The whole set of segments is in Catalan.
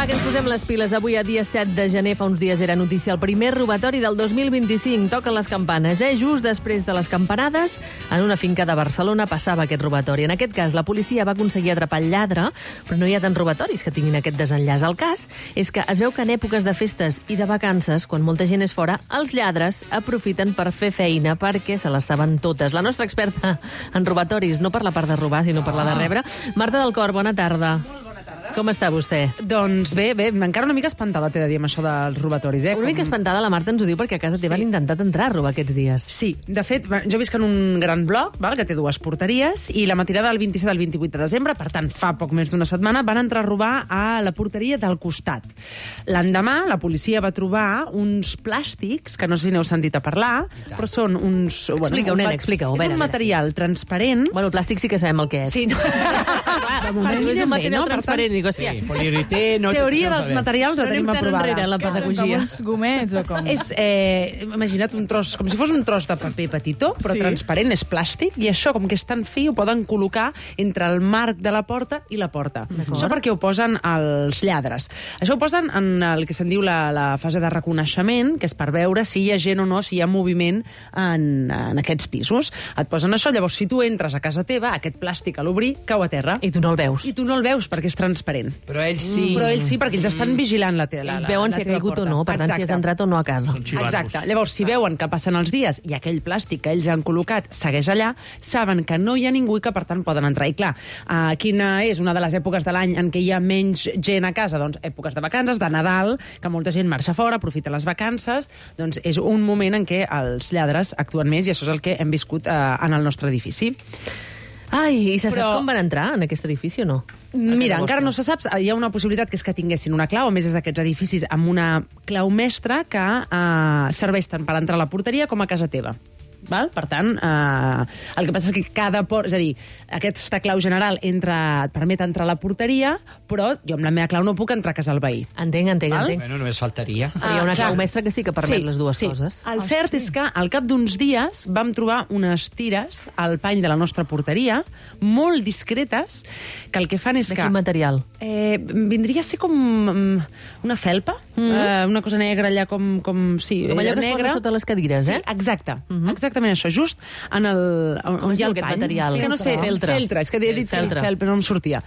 Va, que ens posem les piles. Avui, a dia 7 de gener, fa uns dies era notícia el primer robatori del 2025. Toquen les campanes, Just després de les campanades, en una finca de Barcelona passava aquest robatori. En aquest cas, la policia va aconseguir atrapar el lladre, però no hi ha tants robatoris que tinguin aquest desenllaç. El cas és que es veu que en èpoques de festes i de vacances, quan molta gent és fora, els lladres aprofiten per fer feina perquè se les saben totes. La nostra experta en robatoris, no per la part de robar, sinó per la de rebre, Marta del Cor, bona tarda. Com està vostè? Doncs bé, encara una mica espantada t'he de dir amb això dels robatoris. Una mica espantada, la Marta ens ho diu, perquè a casa teva han intentat entrar a robar aquests dies. Sí, de fet, jo visc en un gran bloc, que té 2 porteries, i la matinada del 27 al 28 de desembre, per tant, fa poc més d'una setmana, van entrar a robar a la porteria del costat. L'endemà, la policia va trobar uns plàstics, que no sé si n'heu sentit a parlar, però són uns... Explica-ho, nena, explica-ho. És un material transparent... Bueno, el plàstic sí que sabem el que és. Sí, no. De moment, és un material transparent. Sí, poliuretè... Teoria dels materials la tenim aprovada. La pedagogia. Com uns gomets o com? És, imagina't un tros, com si fos un tros de paper petitó, però transparent, és plàstic, i això, com que és tan fi, ho poden col·locar entre el marc de la porta i la porta. Això perquè ho posen els lladres. Això ho posen en el que se'n diu la fase de reconeixement, que és per veure si hi ha gent o no, si hi ha moviment en aquests pisos. Et posen això, llavors, si tu entres a casa teva, aquest plàstic a l'obrir cau a terra. I tu no el veus. I tu no el veus perquè és transparent. Però ells sí. Però ells sí, perquè ells estan vigilant la teva porta. Ells veuen si ha caigut o no, per tant, si has entrat o no a casa. Exacte. Llavors, si veuen que passen els dies i aquell plàstic que ells han col·locat segueix allà, saben que no hi ha ningú i que, per tant, poden entrar. I clar, quina és una de les èpoques de l'any en què hi ha menys gent a casa? Doncs èpoques de vacances, de Nadal, que molta gent marxa fora, aprofita les vacances, doncs és un moment en què els lladres actuen més, i això és el que hem viscut en el nostre edifici. Ai, i se sap com van entrar en aquest edifici o no? Mira, encara no se sap. Hi ha una possibilitat que és que tinguessin una clau, a més és d'aquests edificis amb una clau mestra que serveix tant per entrar a la porteria com a casa teva. Val? Per tant, el que passa és que cada és a dir, aquesta clau general et permet entrar a la porteria, però jo amb la meva clau no puc entrar a casa del veí. Entenc. Bueno, només faltaria. Però hi ha una clau mestra que sí que permet les dues coses. El cert és que al cap d'uns dies vam trobar unes tires al pany de la nostra porteria, molt discretes, que el que fan és que... De quin material? Vindria a ser com una felpa, una cosa negra allà com sí, com allò que es posa sota les cadires, eh? Sí, exacte. Exactament això, just on hi ha el pany. Material? És que no sé, feltre. És que he dit feltre, però no em sortia.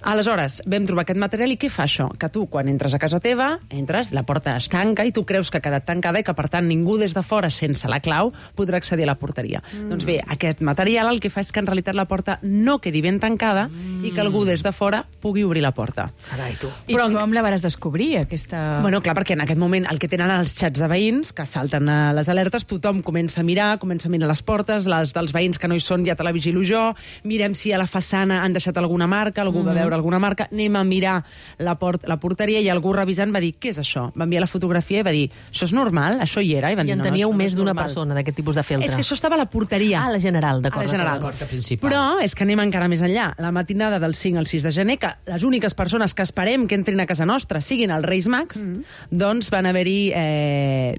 Aleshores, vam trobar aquest material i què fa això? Que tu, quan entres a casa teva, entres, la porta es tanca i tu creus que ha quedat tancada i que, per tant, ningú des de fora, sense la clau, podrà accedir a la porteria. Doncs bé, aquest material el que fa és que en realitat la porta no quedi ben tancada i que algú des de fora pugui obrir la porta. Carai, tu. I com la vas descobrir, aquesta... Bueno, clar, perquè en aquest moment el que tenen els xats de veïns, que salten a les alertes, tothom comença a mirar les portes, les dels veïns que no hi són ja te la vigilo jo, mirem si a la façana han deixat alguna marca, algú va veure alguna marca, anem a mirar la porteria i algú revisant va dir, què és això? Va enviar la fotografia i va dir, això és normal? Això hi era? I en teníeu més d'una persona d'aquest tipus de feltre. És que això estava a la porteria. Ah, a la general, d'acord. A la general. Però és que anem encara més enllà. La matinada del 5 al 6 de gener, que les úniques persones que esperem que entrin a casa nostra siguin els Reis Mags, doncs van haver-hi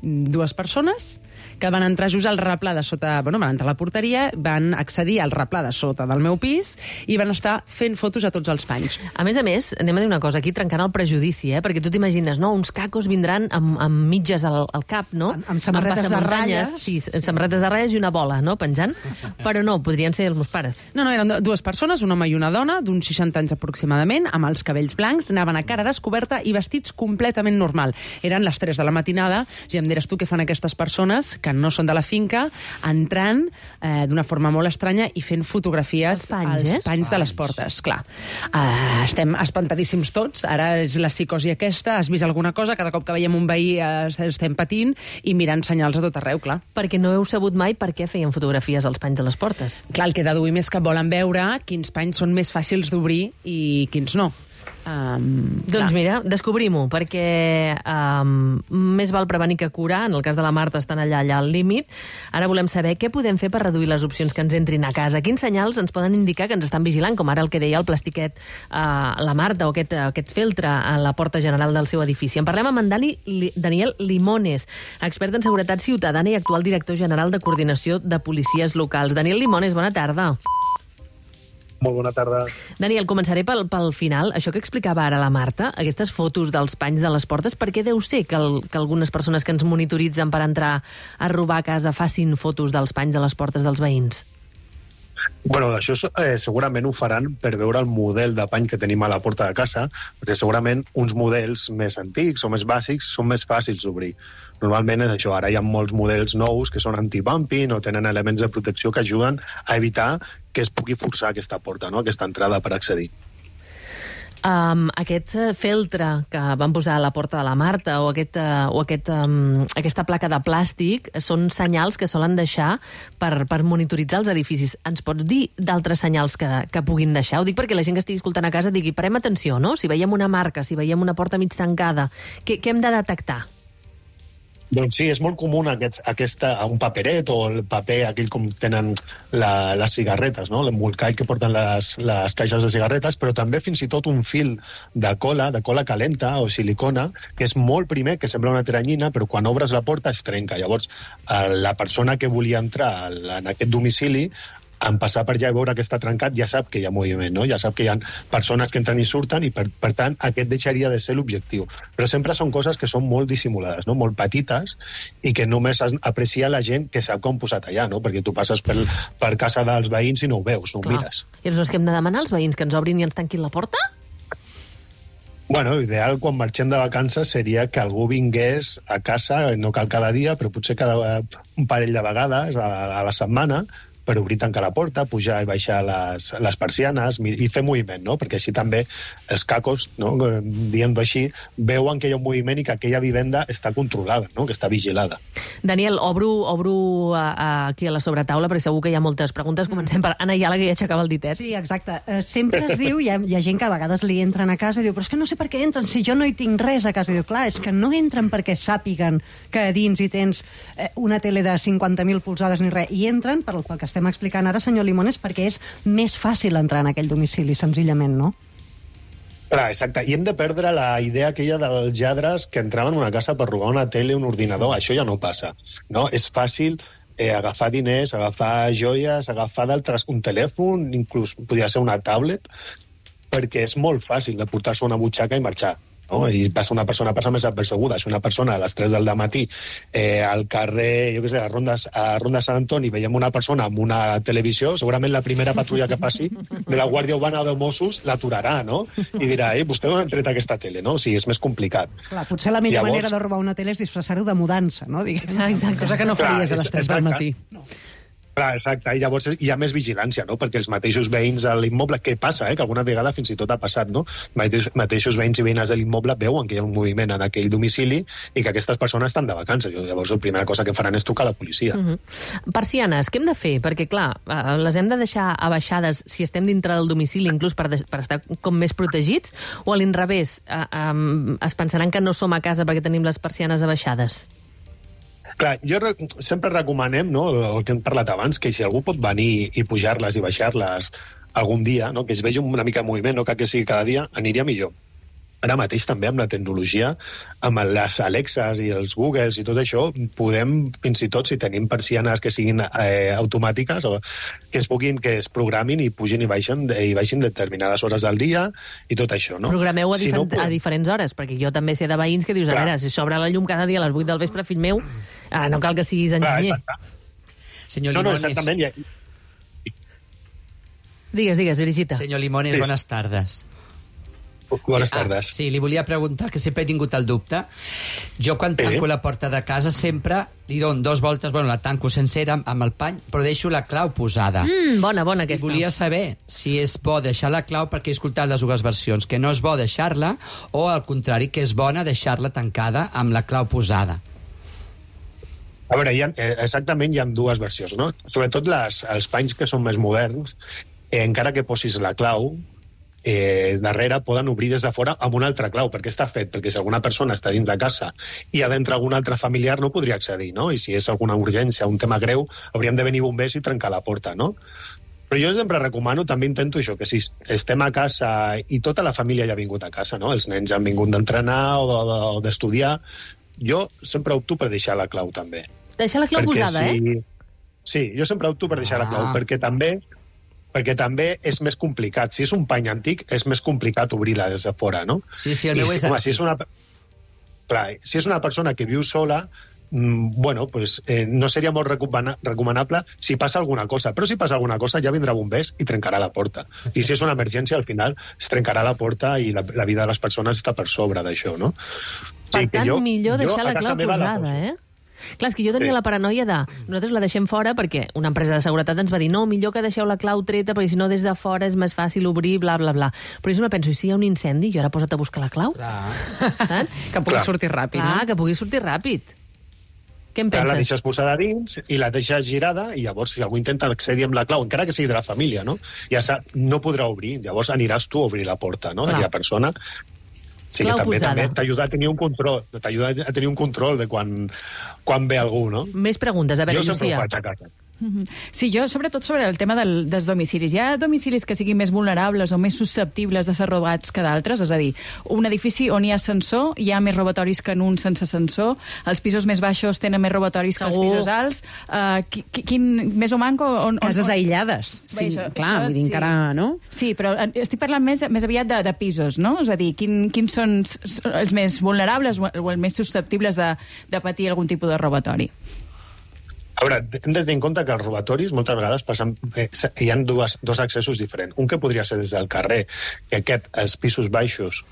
2 persones que van entrar just al replà de sota... Bueno, van entrar a la porteria, van accedir al replà de sota del meu pis i van estar fent fotos a tots els panys. A més, anem a dir una cosa, aquí trencant el prejudici, perquè tu t'imagines, no, uns cacos vindran amb mitges al cap, no? Amb samarretes de ratlles. Sí, amb samarretes de ratlles i una bola, no?, penjant. Però no, podrien ser els meus pares. No, eren 2 persones, un home i una dona, d'uns 60 anys aproximadament, amb els cabells blancs, anaven a cara descoberta i vestits completament normal. Eren les 3 de la matinada, i em diràs tu què fan aquestes persones, que no són de la finca, entrant d'una forma molt estranya i fent fotografies als panys de les portes. Clar, estem espantadíssims tots, ara és la psicosi aquesta, has vist alguna cosa, cada cop que veiem un veí estem patint i mirant senyals a tot arreu, clar. Perquè no heu sabut mai per què feien fotografies als panys de les portes. Clar, el que deduïm és que volen veure quins panys són més fàcils d'obrir i quins no. Doncs mira, descobrim-ho, perquè més val prevenir que curar. En el cas de la Marta estan allà al límit. Ara volem saber què podem fer per reduir les opcions que ens entrin a casa. Quins senyals ens poden indicar que ens estan vigilant, com ara el que deia el plastiquet la Marta, o aquest feltre a la porta general del seu edifici. En parlem amb en Daniel Limones, expert en seguretat ciutadana i actual director general de coordinació de policies locals. Daniel Limones, bona tarda. Molt bona tarda. Daniel, començaré pel final. Això que explicava ara la Marta, aquestes fotos dels panys de les portes, per què deu ser que algunes persones que ens monitoritzen per entrar a robar a casa facin fotos dels panys de les portes dels veïns? Bueno, això segurament ho faran per veure el model de pany que tenim a la porta de casa, perquè segurament uns models més antics o més bàsics són més fàcils d'obrir. Normalment és això, ara hi ha molts models nous que són anti-bumping o tenen elements de protecció que ajuden a evitar que es pugui forçar aquesta porta, no? Aquesta entrada per accedir. Aquest feltre que van posar a la porta de la Marta o aquesta placa de plàstic són senyals que solen deixar per monitoritzar els edificis. Ens pots dir d'altres senyals que puguin deixar? Ho dic perquè la gent que estigui escoltant a casa digui, parem atenció, no? Si veiem una marca, si veiem una porta mig tancada, què hem de detectar? Doncs sí, és molt comú un paperet o el paper aquell com tenen les cigarretes, no? L'embolcall que porten les caixes de cigarretes, però també fins i tot un fil de cola calenta o silicona, que és molt primer, que sembla una teranyina, però quan obres la porta es trenca. Llavors, la persona que volia entrar en aquest domicili, en passar per allà i veure que està trencat, ja sap que hi ha moviment, no? Ja sap que hi ha persones que entren i surten i, per tant, aquest deixaria de ser l'objectiu. Però sempre són coses que són molt dissimulades, no? Molt petites, i que només aprecia la gent que sap com posat allà, no? Perquè tu passes per casa dels veïns i no ho veus, no ho mires. I aleshores què hem de demanar als veïns? Que ens obrin i ens tanquin la porta? Bueno, l'ideal quan marxem de vacances seria que algú vingués a casa, no cal cada dia, però potser un parell de vegades a la setmana, per obrir, tancar la porta, pujar i baixar les persianes i fer moviment, no? Perquè així també els cacos, no? Dient-ho així, veuen que hi ha un moviment i que aquella vivenda està controlada, no? Que està vigilada. Daniel, obro aquí a la sobretaula, perquè segur que hi ha moltes preguntes. Comencem per Anna Ayala, que ja aixecava el ditet. Sí, exacte. Sempre es diu, hi ha gent que a vegades li entren a casa i diu, però és que no sé per què entren, si jo no hi tinc res a casa. I diu, clar, és que no entren perquè sàpiguen que a dins hi tens una tele de 50.000 polzades ni res, i entren, per el que estem explicant ara, senyor Limones, perquè és més fàcil entrar en aquell domicili, senzillament, no? Clar, exacte. I hem de perdre la idea aquella dels lladres que entraven a una casa per robar una tele o un ordinador. Això ja no passa, no? És fàcil agafar diners, agafar joies, agafar un telèfon, inclús podria ser una tablet, perquè és molt fàcil de portar-se una butxaca i marxar. No? I una persona passa més apercebuda. Si una persona a les 3 del matí al carrer, jo què sé, a Ronda Sant Antoni veiem una persona amb una televisió, segurament la primera patrulla que passi de la Guàrdia Urbana o de Mossos l'aturarà, no? I dirà, vostè no ha tret aquesta tele, no? O sigui, és més complicat. Clar, potser la millor manera de robar una tele és disfressar-ho de mudança, no? Exacte. Cosa que no faries a les 3 del matí. No. Clar, exacte, i llavors hi ha més vigilància, no? Perquè els mateixos veïns de l'immoble, què passa, que alguna vegada fins i tot ha passat, no? Mateixos veïns i veïnes de l'immoble veuen que hi ha un moviment en aquell domicili i que aquestes persones estan de vacances. Llavors la primera cosa que faran és trucar a la policia. Persianes, què hem de fer? Perquè, clar, les hem de deixar abaixades si estem dintre del domicili, inclús per estar com més protegits, o a l'inrevés, es pensaran que no som a casa perquè tenim les persianes abaixades? Clar, sempre recomanem, no, el que hem parlat abans, que si algú pot venir i pujar-les i baixar-les algun dia, no, que es vegi una mica de moviment, no cal que sigui cada dia, aniria millor. Ara mateix també amb la tecnologia, amb les Alexas i els Googles i tot això, podem, fins i tot, si tenim persianes que siguin automàtiques, o que es programin i pugin i baixin determinades hores del dia i tot això, no? Programeu a diferents hores, perquè jo també sé de veïns que dius, a veure, si s'obre la llum cada dia a les 8 del vespre, fill meu, no cal que siguis enginyer. Senyor Limones. Exactament. Digues, Brigitta. Senyor Limones, buenas tardes. Bones tardes. Sí, li volia preguntar, que sempre he tingut el dubte. Jo, quan tanco la porta de casa, sempre li dono 2 voltes, la tanco sencera amb el pany, però deixo la clau posada. Bona aquesta. I volia saber si és bo deixar la clau, perquè he escoltat les dues versions, que no és bo deixar-la, o al contrari, que és bona deixar-la tancada amb la clau posada. A veure, exactament hi ha dues versions, no? Sobretot els panys que són més moderns, encara que posis la clau, darrere poden obrir des de fora amb una altra clau, perquè està fet, perquè si alguna persona està dins de casa i ha d'entrar algun altre familiar no podria accedir, no? I si és alguna urgència, un tema greu, haurien de venir bombers i trencar la porta, no? Però jo sempre recomano, també intento això, que si estem a casa i tota la família ja ha vingut a casa, no? Els nens han vingut d'entrenar o d'estudiar, jo sempre opto per deixar la clau també. Deixar la clau posada, Sí, jo sempre opto per deixar la clau, perquè també perquè també és més complicat. Si és un pany antic, és més complicat obrir-la des de fora, no? Sí, el meu és antic. Si és una persona que viu sola, bueno, pues, no seria molt recomanable si passa alguna cosa. Però si passa alguna cosa ja vindrà bombers i trencarà la porta. I si és una emergència, al final es trencarà la porta i la vida de les persones està per sobre d'això, no? Per tant, millor deixar la clau posada, eh? Clar, és que jo tenia la paranoia de nosaltres la deixem fora perquè una empresa de seguretat ens va dir no, millor que deixeu la clau treta perquè si no des de fora és més fàcil obrir, bla, bla, bla. Però jo me penso, i si hi ha un incendi, jo ara posa't a buscar la clau? Que pugui sortir ràpid, no? Que pugui sortir ràpid. Què en penses? La deixes posada dins i la deixes girada i llavors si algú intenta accedir amb la clau, encara que sigui de la família, no? Ja no podrà obrir, llavors aniràs tu a obrir la porta, no? Aquella persona. Sí, que també t'ajuda a tenir un control, de quan ve algú, no? Més preguntes, a veure, Jo sempre Llucia. ho faig a casa. Sí, jo, sobretot sobre el tema dels domicilis. Hi ha domicilis que siguin més vulnerables o més susceptibles de ser robats que d'altres? És a dir, un edifici on hi ha ascensor, hi ha més robatoris que en un sense ascensor, els pisos més baixos tenen més robatoris que els pisos alts. Quin més o manco... Cases aïllades. Bé, Sí, clar, vull dir, encara, no? Sí, però estic parlant més aviat de pisos, no? És a dir, quins són els més vulnerables o els més susceptibles de patir algun tipus de robatori? A veure, hem de tenir en compte que els robatoris moltes vegades passen, hi ha dos accessos diferents. Un que podria ser des del carrer, que els pisos baixos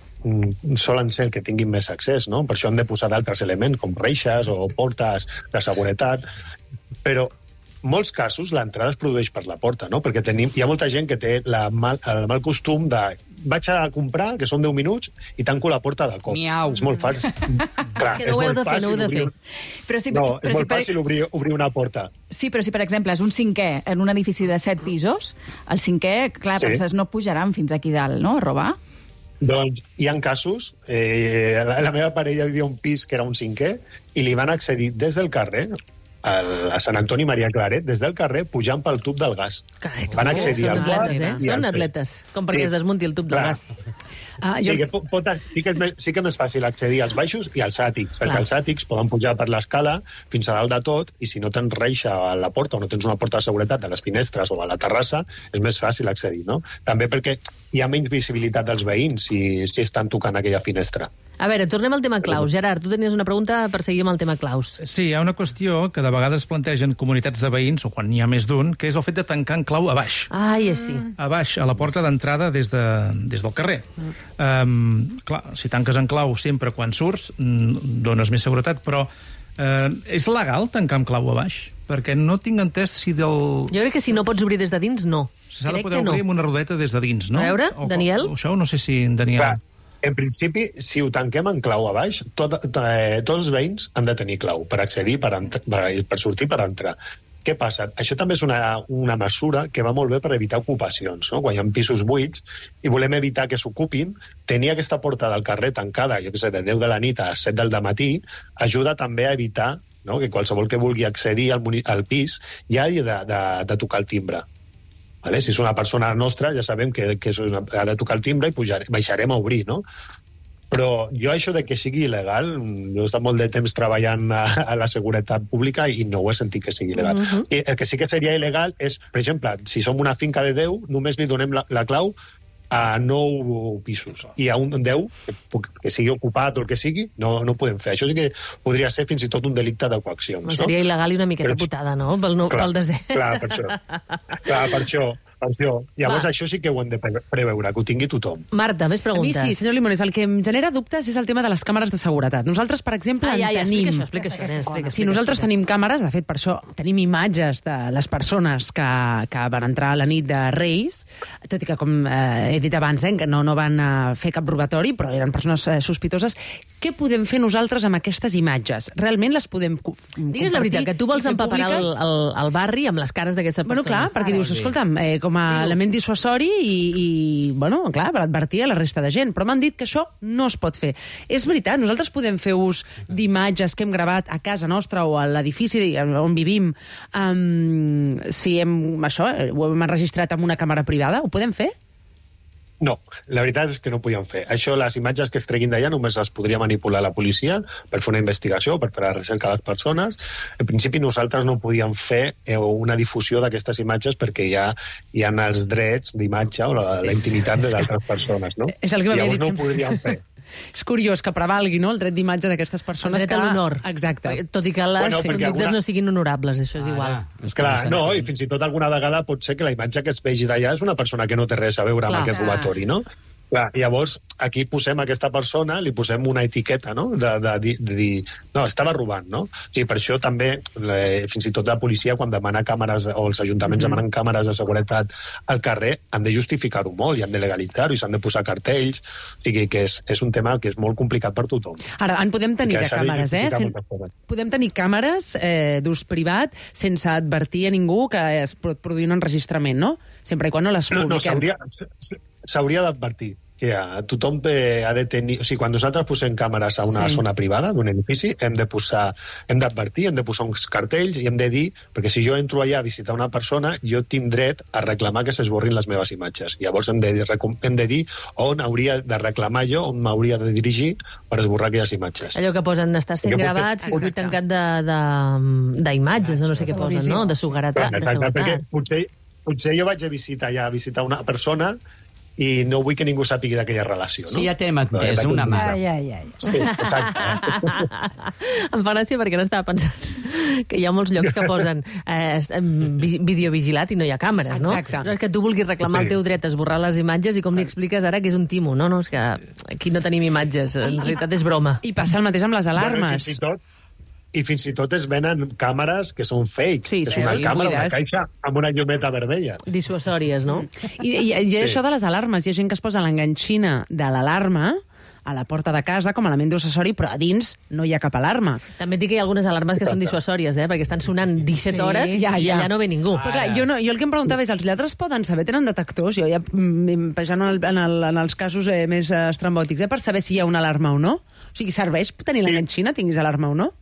solen ser el que tinguin més accés, no? Per això hem de posar d'altres elements, com reixes o portes de seguretat, però en molts casos l'entrada es produeix per la porta, no? Perquè hi ha molta gent que té el mal costum de vaig a comprar, que són 10 minuts, i tanco la porta de cop. Miau. És molt fàcil. Clar, És que no ho heu de fer, no ho heu de fer. És molt fàcil obrir una porta. Sí, però si, per exemple, és un cinquè en un edifici de 7 pisos, el cinquè, clar, penses, no pujaran fins aquí dalt, no?, a robar. Doncs hi ha casos, la meva parella vivia un pis que era un cinquè i li van accedir des del carrer a Sant Antoni Maria Claret, des del carrer, pujant pel tub del gas. Carai, van accedir al quart. Són atletes, com perquè es desmunti el tub del gas. Sí que és més fàcil accedir als baixos i als àtics, perquè els àtics poden pujar per l'escala fins a dalt de tot, i si no tens reixa a la porta o no tens una porta de seguretat a les finestres o a la terrassa, és més fàcil accedir, no? També perquè hi ha menys visibilitat dels veïns si estan tocant aquella finestra. A veure, tornem al tema claus. Gerard, tu tenies una pregunta per seguir amb el tema claus. Sí, hi ha una qüestió que de vegades plantegen comunitats de veïns, o quan n'hi ha més d'un, que és el fet de tancar en clau a baix. Ai, sí. A baix, a la porta d'entrada des del carrer. Clar, si tanques en clau sempre quan surts, dones més seguretat, però és legal tancar amb clau a baix? Perquè no tinc entès si del... Jo crec que si no pots obrir des de dins, no. S'ha de poder obrir amb una rodeta des de dins, no? A veure, Daniel? Això no sé si en Daniel... Clar. En principi, si ho tanquem en clau a baix, tots els veïns han de tenir clau per accedir, per sortir, per entrar. Què passa? Això també és una mesura que va molt bé per evitar ocupacions, no? Quan hi ha pisos buits i volem evitar que s'ocupin, tenir aquesta porta del carrer tancada, jo què sé, de 10 de la nit a 7 del matí, ajuda també a evitar, no?, que qualsevol que vulgui accedir al pis ja hagi de tocar el timbre. Vale? Si és una persona nostra, ja sabem que ha de tocar el timbre i baixarem a obrir, no? Però jo això de que sigui il·legal, jo he estat molt de temps treballant a la seguretat pública i no ho he sentit que sigui il·legal. I el que sí que seria il·legal és, per exemple, si som una finca de 10, només li donem la clau a 9 pisos. I a un 10, que sigui ocupat o el que sigui, no ho podem fer. Això sí que podria ser fins i tot un delicte de coaccions. No? Seria il·legal i una miqueta putada, no? Pel desè. Clar, per això. Llavors això sí que ho hem de preveure, que ho tingui tothom. Marta, més preguntes. A mi sí, senyor Limones, el que em genera dubtes és el tema de les càmeres de seguretat. Nosaltres, per exemple, tenim... Explica això. Si nosaltres tenim càmeres, de fet, per això tenim imatges de les persones que van entrar a la nit de Reis, tot i que, com he dit abans, que no van fer cap robatori, però eren persones sospitoses. Què podem fer nosaltres amb aquestes imatges? Realment les podem compartir? Digues la veritat, que tu vols empaparar el barri amb les cares d'aquestes persones. Bueno, clar, perquè dius, escolta'm, com a element dissuasori i bueno, clar, per advertir a la resta de gent. Però m'han dit que això no es pot fer. És veritat, nosaltres podem fer ús d'imatges que hem gravat a casa nostra o a l'edifici on vivim, si ho hem enregistrat amb una càmera privada, ho podem fer? No, la veritat és que no ho podien fer. Això, les imatges que es treguin d'allà només les podria manipular la policia per fer una investigació, per fer la recerca de les persones. En principi nosaltres no podíem fer una difusió d'aquestes imatges perquè hi ha els drets d'imatge o la intimitat d'altres persones, no? És el que m'havia dit no ho sempre. podríem fer. És curiós que prevalgui, no?, el dret d'imatge d'aquestes persones. El dret a l'honor. Exacte. Tot i que les conductes no siguin honorables, això és igual. Clar, no, i fins i tot alguna vegada pot ser que la imatge que es vegi d'allà és una persona que no té res a veure amb aquest robatori, no? Clar, llavors, aquí posem a aquesta persona, li posem una etiqueta, no?, de dir, no, estava robant, no? O sigui, per això també, fins i tot la policia, quan demana càmeres, o els ajuntaments demanen càmeres de seguretat al carrer, han de justificar-ho molt, i han de legalitzar-ho, i s'han de posar cartells, o sigui, que és un tema que és molt complicat per tothom. Ara, en podem tenir de càmeres, Podem tenir càmeres d'ús privat sense advertir a ningú que es pot produir un enregistrament, no? Sempre i quan no les publiquem. No, s'hauria d'advertir que tothom ha de tenir... O sigui, quan nosaltres posem càmeres a una zona privada d'un edifici, hem d'advertir, hem de posar uns cartells i hem de dir, perquè si jo entro allà a visitar una persona, jo tinc dret a reclamar que s'esborrin les meves imatges. Llavors hem de dir on hauria de reclamar jo, on m'hauria de dirigir per esborrar aquelles imatges. Allò que posen, està sent gravat, circuit tancat d'imatges, no sé què posen, no?, de seguretat. Perquè potser jo vaig a visitar una persona i no vull que ningú sàpigui d'aquella relació, no? Sí, ja t'hem entès, una mare. Sí, exacte. Em fa gràcia perquè no estava pensant que hi ha molts llocs que posen videovigilat i no hi ha càmeres, no? Exacte. No és que tu vulguis reclamar el teu dret a esborrar les imatges i com li expliques ara que és un timo, no? No, és que aquí no tenim imatges, en realitat és broma. I passa el mateix amb les alarmes. I fins i tot es venen càmeres que són fake. És una càmera, una caixa amb una llumeta vermella. Dissuasòries, no? I això de les alarmes, hi ha gent que es posa l'enganxina de l'alarma a la porta de casa com a element d'accessori, però a dins no hi ha cap alarma. També et dic que hi ha algunes alarmes que són dissuasòries, perquè estan sonant 17 hores i allà no ve ningú. Però clar, jo el que em preguntava és, els lladres poden saber, tenen detectors, jo ja pensant en els casos més estrambòtics, per saber si hi ha una alarma o no? O sigui, serveix tenir l'enganxina, tinguis alarma o no?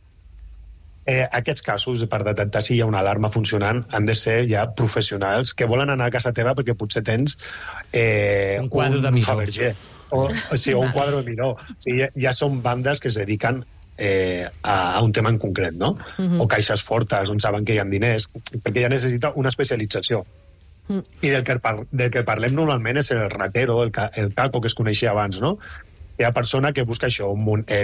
Aquests casos, per detectar si hi ha una alarma funcionant, han de ser ja professionals que volen anar a casa teva perquè potser tens un quadre de Miró. Fabergé, o un quadre de Miró. O sigui, ja són bandes que es dediquen a un tema en concret, no? O caixes fortes, on saben que hi ha diners, perquè ja necessita una especialització. I del que parlem normalment és el ratero, el caco que es coneixia abans, no? Hi ha persona que busca això,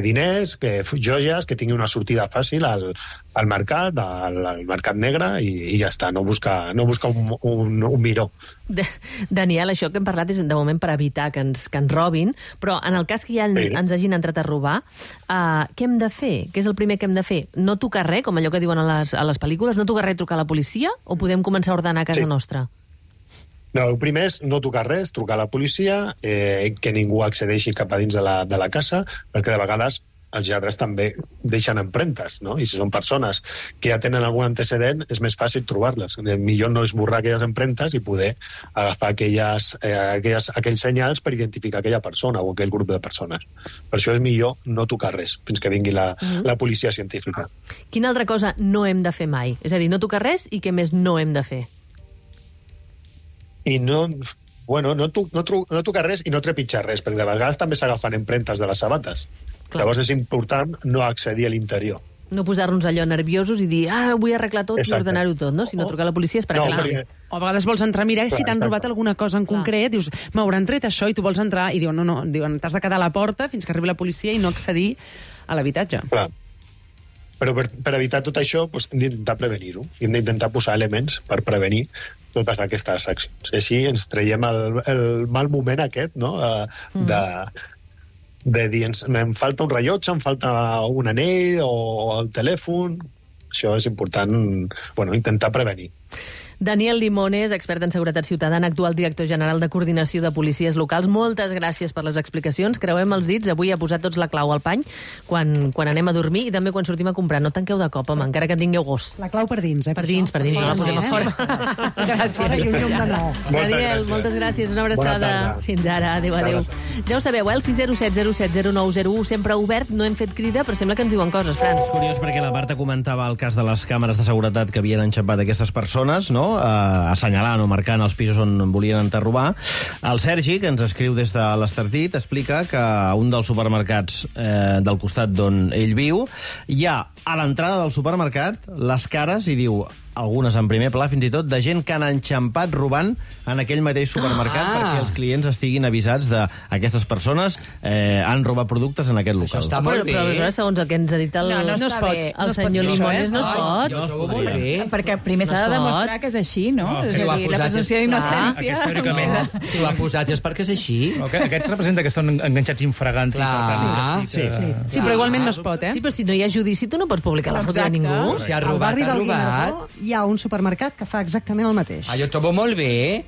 diners, joies, que tingui una sortida fàcil al mercat, al mercat negre, i ja està, no busca un miró. Daniel, això que hem parlat és de moment per evitar que ens robin, però en el cas que ja ens hagin entrat a robar, què hem de fer? Què és el primer que hem de fer? No tocar res, com allò que diuen a les pel·lícules, no tocar res, trucar a la policia, o podem començar a ordenar a casa nostra? No, el primer és no tocar res, trucar a la policia, que ningú accedeixi cap a dins de la casa, perquè de vegades els lladres també deixen empremtes, no? I si són persones que ja tenen algun antecedent, és més fàcil trobar-les. Millor no esborrar aquelles empremtes i poder agafar aquells senyals per identificar aquella persona o aquell grup de persones. Per això és millor no tocar res fins que vingui la policia científica. Quina altra cosa no hem de fer mai? És a dir, no tocar res i què més no hem de fer? I no tocar res i no trepitjar res, perquè de vegades també s'agafen empremtes de les sabates. Clar. Llavors és important no accedir a l'interior. No posar-nos allò nerviosos i dir, vull arreglar tot i ordenar-ho tot, no? Si no, trucar a la policia és per aclarar. O a vegades vols entrar a mirar si t'han robat alguna cosa en concret, dius, m'hauran tret això, i tu vols entrar, i diuen, no, t'has de quedar a la porta fins que arribi la policia i no accedir a l'habitatge. Clar. Però per evitar tot això, hem d'intentar prevenir-ho. Hem d'intentar posar elements per prevenir totes aquestes accions. Així ens traiem el mal moment aquest, no?, de dir, em falta un rellotge, em falta un anell o el telèfon. Això és important, intentar prevenir. Daniel Limones, expert en seguretat ciutadana, actual director general de coordinació de policies locals. Moltes gràcies per les explicacions. Creuem els dits. Avui ha posat tots la clau al pany quan anem a dormir i també quan sortim a comprar. No tanqueu de cop, home, encara que tingueu gos. La clau per dins, Per dins, no la posem a fora. Gràcies. I un llum de nou. Daniel, moltes gràcies. Una abraçada. Fins ara. Adéu. Ja ho sabeu, el 607 07 0901 sempre obert. No hem fet crida, però sembla que ens diuen coses, Fran. És curiós perquè la Marta comentava el cas de les càmeres de seguretat que havien enxampat aquestes persones, no? assenyalant o marcant els pisos on volien enterrobar. El Sergi, que ens escriu des de l'Estartit, explica que a un dels supermercats del costat d'on ell viu hi ha a l'entrada del supermercat les cares, i diu, algunes en primer pla, fins i tot, de gent que han enxampat robant en aquell mateix supermercat perquè els clients estiguin avisats d'aquestes persones han robat productes en aquest local. Això està molt bé. Però aleshores, segons el que ens ha dit no es pot. el senyor Limones, no es pot. Jo ho trobo molt bé. Perquè primer s'ha de demostrar que és així, no? És a dir, la presumpció d'innocència... Si ho ha posat és perquè és així. Aquests representa que estan enganxats infragant. Sí, però igualment no es pot, Sí, però si no hi ha judici, tu no pots publicar la foto de ningú. Si ha Al robat, barri ha del robat. Guinardó hi ha un supermercat que fa exactament el mateix. Jo ho trobo molt bé.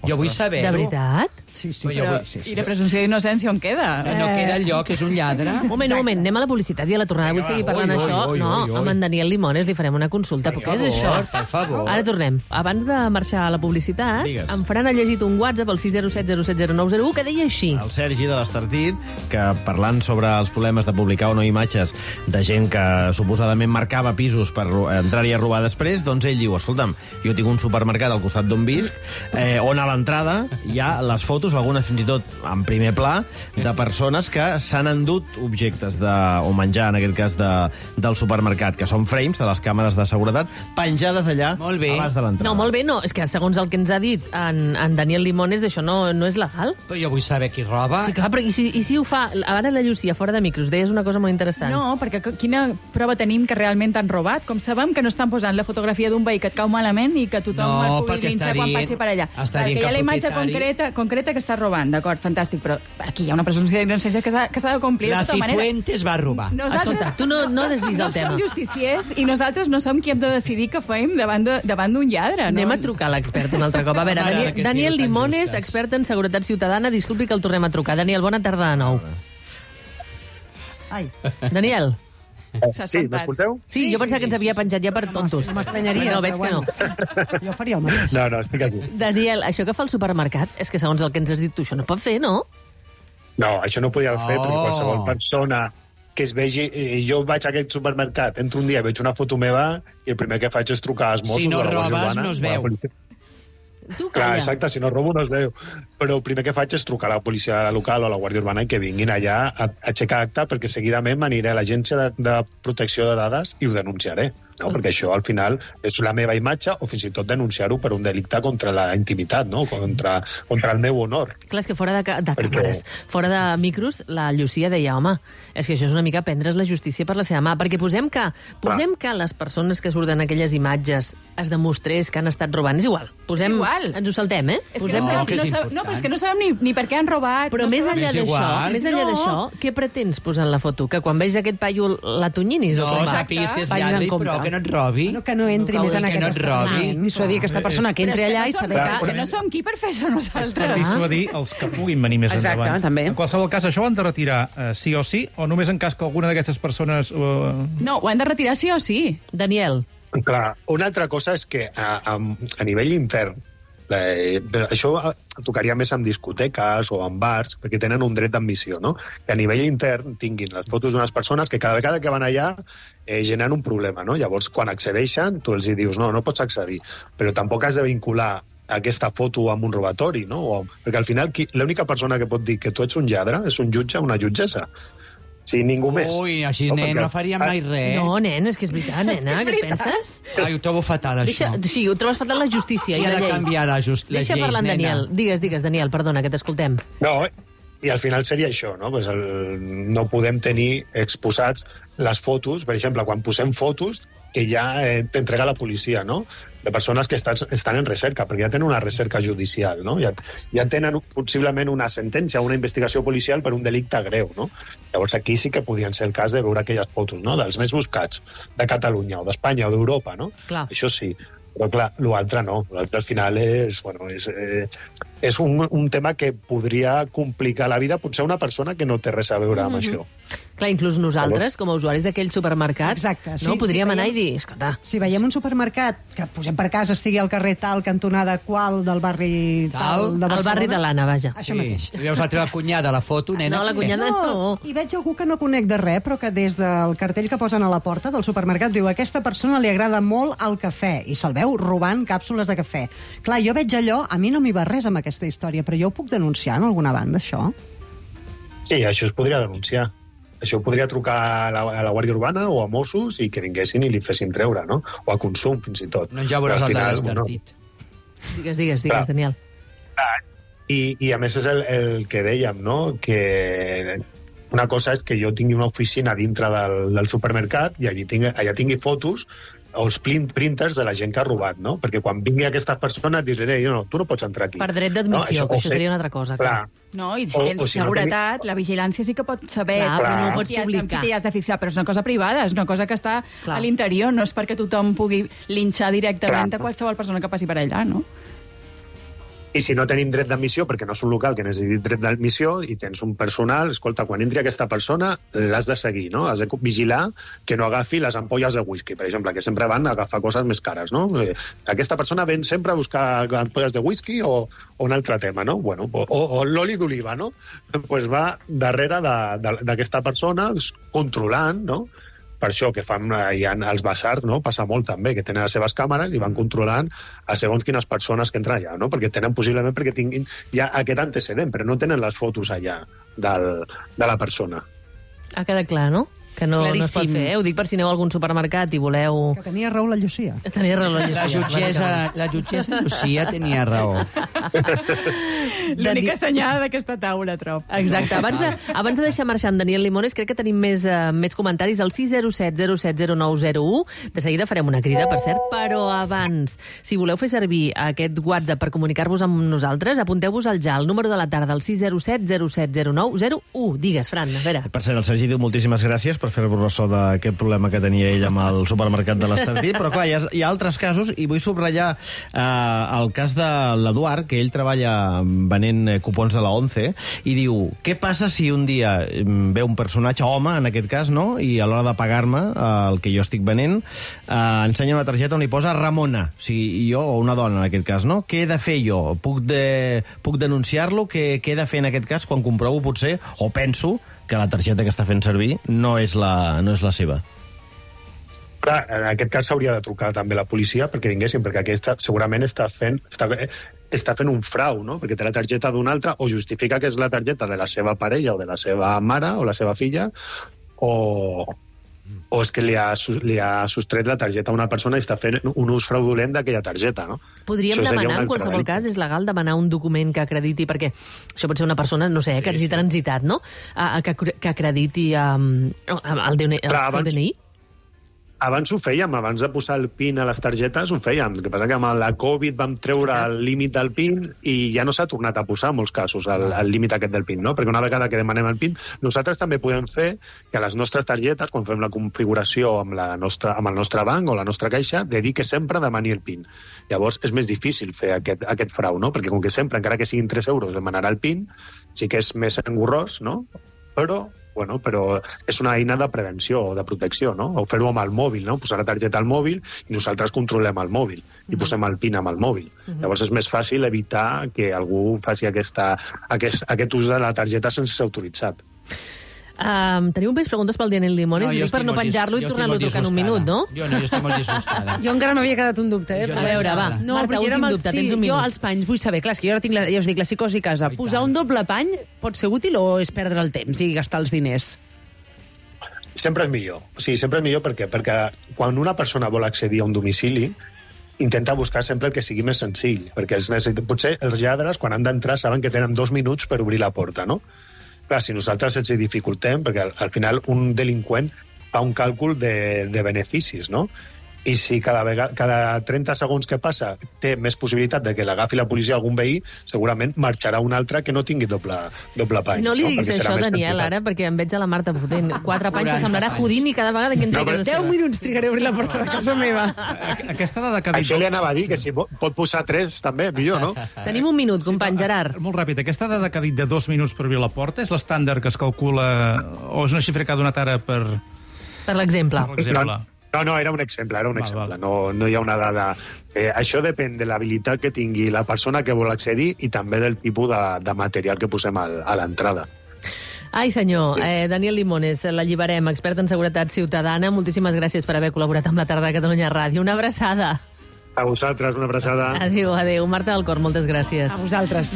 Jo vull saber-ho. De veritat? Sí. Però, i la presumpció d'innocència on queda? No queda enlloc, és un lladre. Un moment, anem a la publicitat i a la tornada. Vull seguir parlant d'això. No, amb en Daniel Limones li farem una consulta. Per què és això? Per favor. Ara tornem. Abans de marxar a la publicitat, en Fran ha llegit un WhatsApp al 607070901 que deia així. El Sergi de l'Estartit, que parlant sobre els problemes de publicar o no imatges de gent que suposadament marcava pisos per entrar-hi a robar després, doncs ell diu, escolta'm, jo tinc un supermercat al costat d'on visc, on a l'entrada hi ha les fotos, algunes fins i tot en primer pla, de persones que s'han endut objectes o menjar, en aquest cas, del supermercat, que són frames de les càmeres de seguretat, penjades allà abans de l'entrada. No, molt bé, no. És que segons el que ens ha dit en Daniel Limones, això no és legal. Però jo vull saber qui roba. Sí, clar, però i si ho fa... Ara la Llucia, fora de micros, deies una cosa molt interessant. No, perquè quina prova tenim que realment t'han robat? Com sabem que no estan posant la fotografia d'un veí que et cau malament i que tothom el pugui linxar quan passi per allà? Està dient que hi ha la imatge concreta que està robant, d'acord, fantàstic, però aquí hi ha una presumpció d'innocència que s'ha de complir de tota manera. La Cifuentes va robar. Escolta, tu no desvis el tema. No som justiciers i nosaltres no som qui hem de decidir què fem davant d'un lladre. Anem a trucar a l'expert un altre cop. A veure, Daniel Limones, expert en seguretat ciutadana, disculpi que el tornem a trucar. Daniel, bona tarda de nou. Ai. Daniel. Sí, m'escolteu? Sí, jo pensava que ens havia penjat ja per tontos. No m'estranyaria. No, veig que no. Jo faria el mateix. No, estic aquí. Daniel, això que fa el supermercat, és que segons el que ens has dit tu, això no pot fer, no? No, això no podia fer, perquè qualsevol persona que es vegi... Jo vaig a aquest supermercat, entro un dia, veig una foto meva i el primer que faig és trucar als Mossos. Si no a la Guàrdia robes, Urbana, no es veu. Tu, clar, exacte, si no robo no es veu. Però el primer que faig és trucar a la policia local o a la Guàrdia Urbana i que vinguin allà a aixecar acta, perquè seguidament m'aniré a l'Agència de Protecció de Dades i ho denunciaré. No? Perquè això, al final, és la meva imatge o fins i tot denunciar-ho per un delicte contra la intimitat, no? contra el meu honor. Clar, és que fora de càmeres, fora de micros, la Llucia deia, home, és que això és una mica prendre's la justícia per la seva mà, perquè posem que les persones que surten aquelles imatges es demostrés que han estat robant. És igual. Ens ho saltem, eh? És que no, però és que no sabem ni per què han robat. Però més enllà d'això, què pretens posar en la foto? Que quan veig aquest paio la tonyinis? No, sàpiguis que és lladre, però que no et robi. Que no entri més en aquest estat. Dissuadir aquesta persona que entri allà i saber que... no som qui per fer això nosaltres. És per dissuadir els que puguin venir més endavant. Exacte, també. En qualsevol cas, això ho han de retirar sí o sí, o només en cas que alguna d'aquestes persones... No, ho han de retirar sí o sí. Daniel. Clar, una altra cosa és que a nivell intern, això tocaria més en discoteques o en bars, perquè tenen un dret d'admissió, no? Que a nivell intern tinguin les fotos d'unes persones que cada vegada que van allà generen un problema, no? Llavors, quan accedeixen, tu els dius, no pots accedir, però tampoc has de vincular aquesta foto amb un robatori, no? Perquè al final l'única persona que pot dir que tu ets un lladre és un jutge o una jutgessa. Sí, ningú més. Ui, així, nen, no faríem mai res. No, nen, és que és veritat, nena, què penses? Ai, ho trobo fatal, això. Sí, ho trobes fatal la justícia i la llei. Qui ha de canviar les lleis, nena? Deixa parlar en Daniel. Digues, Daniel, perdona, que t'escoltem. No, i al final seria això, no? Pues no podem tenir exposats les fotos, per exemple, quan posem fotos que ja t'entrega la policia, no? De persones que estan en recerca, perquè ja tenen una recerca judicial, no? Ja tenen possiblement una sentència, una investigació policial per un delicte greu, no? Llavors aquí sí que podien ser el cas de veure aquelles fotos, no? Dels més buscats de Catalunya o d'Espanya o d'Europa, no? Clar. Això sí. Però, clar, l'altre no. L'altre, al final, és un tema que podria complicar la vida potser a una persona que no té res a veure amb això. Clar, inclús nosaltres, com a usuaris d'aquell supermercat, Exacte, sí, no? Podríem sí, anar i dir, escolta... Si veiem un supermercat que posem per casa, estigui al carrer tal, cantonada qual del barri tal de Barcelona... Al barri de l'Anna, vaja. Això mateix. I veus la teva cunyada, la foto, nena. No, la cunyada no. I veig algú que no conec de res, però que des del cartell que posen a la porta del supermercat diu a aquesta persona li agrada molt el cafè i se'l veu robant càpsules de cafè. Clar, jo veig allò, a mi no m'hi va res amb aquesta història, però jo ho puc denunciar en alguna banda, això? Sí, això es podria denunciar. Això ho podria trucar a la Guàrdia Urbana o a Mossos i que vinguessin i li fessin treure, no? O a Consum, fins i tot. No ja veuràs el de l'Estartit. Digues, Daniel. I a més és el que dèiem, no? Que una cosa és que jo tingui una oficina dintre del supermercat i allà tingui fotos o els printers de la gent que ha robat, no? Perquè quan vingui aquesta persona diré, no, tu no pots entrar aquí. Per dret d'admissió, no? que això seria una altra cosa. Clar. No, i si tens si no seguretat, la vigilància sí que pot saber Clar, però no ho amb pots qui publicar. t'hi has de fixar, però és una cosa privada, és una cosa que està Clar. a l'interior, no és perquè tothom pugui linxar directament Clar. a qualsevol persona que passi per allà, no? I si no tenim dret d'admissió, perquè no és un local que necessiti dret d'admissió, i tens un personal, escolta, quan entri aquesta persona, l'has de seguir, no? Has de vigilar que no agafi les ampolles de whisky, per exemple, que sempre van a agafar coses més cares, no? Aquesta persona ven sempre a buscar ampolles de whisky o un altre tema, no? Bueno, o l'oli d'oliva, no? Pues va darrere d'aquesta persona controlant, no? Per això que fan hi ha els basars, no? Passa molt també, que tenen les seves càmeres i van controlant a segons quines persones que entren allà, no? Perquè tenen possiblement perquè tinguin ja aquest antecedent, però no tenen les fotos allà de la persona. Ha quedat clar, no? Que no es pot fer, Ho dic per si aneu a algun supermercat i voleu... Que tenia raó la Llucia. Tenia raó la Llucia. La jutgessa Lucía tenia raó. L'única senyal d'aquesta taula, trob. Exacte. Abans de deixar marxar en Daniel Limones, crec que tenim més comentaris al 607 070901. De seguida farem una crida, per cert, però abans, si voleu fer servir aquest WhatsApp per comunicar-vos amb nosaltres, apunteu-vos al ja, el número de la tarda, el 607 070901. Digues, Fran, a veure. Per cert, el Sergi diu moltíssimes gràcies per fer-vos ressò d'aquest problema que tenia ell amb el supermercat de l'Estartit, però clar, hi ha altres casos, i vull subratllar el cas de l'Eduard, que ell treballa venent cupons de la ONCE, i diu, què passa si un dia ve un personatge, home, en aquest cas, no?, i a l'hora de pagar-me el que jo estic venent, ensenya una targeta on hi posa Ramona, o sigui, jo, o una dona, en aquest cas, no? Què he de fer jo? Puc denunciar-lo? Què he de fer en aquest cas quan comprovo, potser, o penso, que la targeta que està fent servir no és la seva? Clar, en aquest cas s'hauria de trucar també la policia perquè vinguessin, perquè aquesta segurament està fent un frau, no? Perquè té la targeta d'un altre o justifica que és la targeta de la seva parella o de la seva mare o la seva filla o és que li ha sostret la targeta a una persona i està fent un ús fraudulent d'aquella targeta, no? Podríem demanar, en qualsevol cas, és legal demanar un document que acrediti, perquè això pot ser una persona, no sé, que hagi transitat, no?, que acrediti el DNI. Abans ho fèiem, abans de posar el PIN a les targetes ho fèiem. El que passa que amb la Covid vam treure el límit del PIN i ja no s'ha tornat a posar en molts casos el límit aquest del PIN, no? Perquè una vegada que demanem el PIN, nosaltres també podem fer que les nostres targetes, quan fem la configuració amb el nostre banc o la nostra caixa, dedique sempre a demanar el PIN. Llavors és més difícil fer aquest frau, no? Perquè com que sempre, encara que siguin 3 euros, demanarà el PIN, sí que és més engorrós, no? Però és una eina de prevenció o de protecció, no? O fer-ho amb el mòbil, no? Posar la targeta al mòbil i nosaltres controlem el mòbil i posem el PIN amb el mòbil. Llavors és més fàcil evitar que algú faci aquest ús de la targeta sense ser autoritzat. Teniu més preguntes pel Daniel Limones? No, per no penjar-lo i tornar-lo a trucar en un minut, no? Jo estic molt disgustada. Jo encara m'havia quedat un dubte, A veure, va. No, Marta, però últim dubte, tens un minut. Jo els panys vull saber, clar, és que jo ara tinc ja us dic, la psicosi a casa. Posar un doble pany pot ser útil o és perdre el temps i gastar els diners? Sempre és millor. Sí, sempre és millor perquè quan una persona vol accedir a un domicili, intenta buscar sempre el que sigui més senzill, perquè potser els lladres, quan han d'entrar, saben que tenen 2 minuts per obrir la porta, no? Clar, si nosaltres ens dificultem, perquè al final un delinqüent fa un càlcul de beneficis, no? I si cada 30 segons que passa té més possibilitat de que l'agafi la policia a algun veí, segurament marxarà un altre que no tingui doble pany. No li diguis Perquè serà això, més Daniel, quantitat. ara, perquè em veig a la Marta fotent 4 panys que semblarà Houdini cada vegada que entri a casa 10 seva. minuts trigaré a obrir la porta de casa meva. Aquesta dada que ha dit... Això li anava a dir, que si pot posar 3 també, millor, no? Tenim un minut, company Gerard. Molt ràpid, aquesta dada que ha dit de 2 minuts per obrir la porta és l'estàndard que es calcula o és una xifra que ha donat ara per l'exemple. No, era un exemple, Val. No hi ha una dada. Això depèn de l'habilitat que tingui la persona que vol accedir i també del tipus de material que posem a l'entrada. Ai, senyor, Daniel Limones, l'alliberem, expert en seguretat ciutadana. Moltíssimes gràcies per haver col·laborat amb la tarda de Catalunya Ràdio. Una abraçada. A vosaltres, una abraçada. Adéu. Marta del Cor, moltes gràcies. A vosaltres.